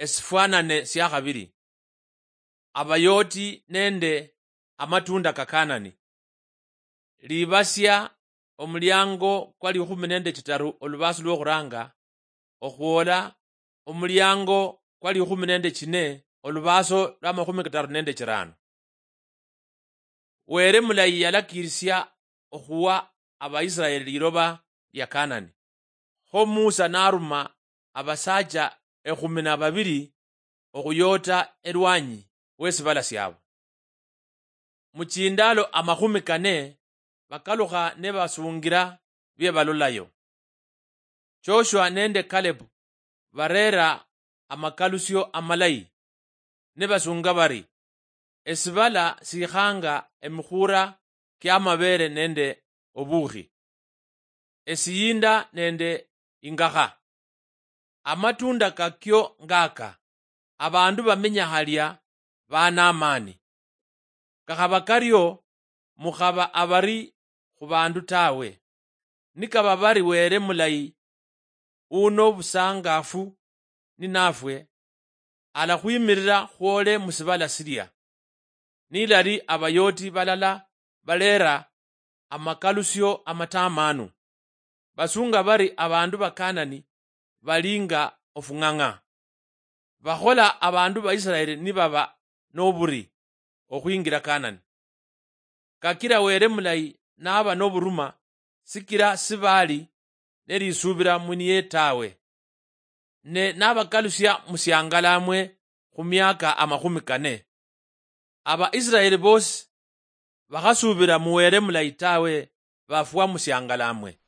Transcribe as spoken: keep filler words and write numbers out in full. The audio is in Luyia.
esifwanane siakhabili. Abayoti nende amatunda ka Kanani. Libasia omuliango kwa likhumi nende chitaru olubaaso lwokhuranga, okhwola omuliango kwa likhumi nende chine olubaaso lwa makhumi kataru nende chirano. Were mulayi yalakirisia okhuwa Abaisiraeli liloba lia Kanani. Kho Musa naruma abasacha ekhumi na babili okhuyota elwanyi wesibala siabo. Muchindaalo amakhumi kane bakalukha nebasungira biebalolayo. Joshua nende Caleb bareera amakalusio amalayi, nibasunga bari, "Esibala sikhanga emikhuura kiamabeere nende obukhi, esiyinda nende ingakha. Amatunda kakio ngaka, abandu bamenya halia bana amaani. Kakhaba kario, mukhaba abari khubandu tawe. Nikaba bari Were mulayi uno busangafu ninafwe, alakhwimirira khwole musibala silia." Nilali abayoti balala balera amakalusio amatamanu, basunga bari abandu ba Kanani bali nga ofung'ang'a. Bakhola abandu ba Isiraeli nibaba noburi okhwingira Kanani. Kakira Were mulayi naba noburuma, sikira sibali nelisubira muniye tawe, ne nabakalusia musiangalamwe khumiaka amakhumi kane. Abaisiraeli bosi bakhasubira mu Were mulayi tawe, bafwa musiangalamwe.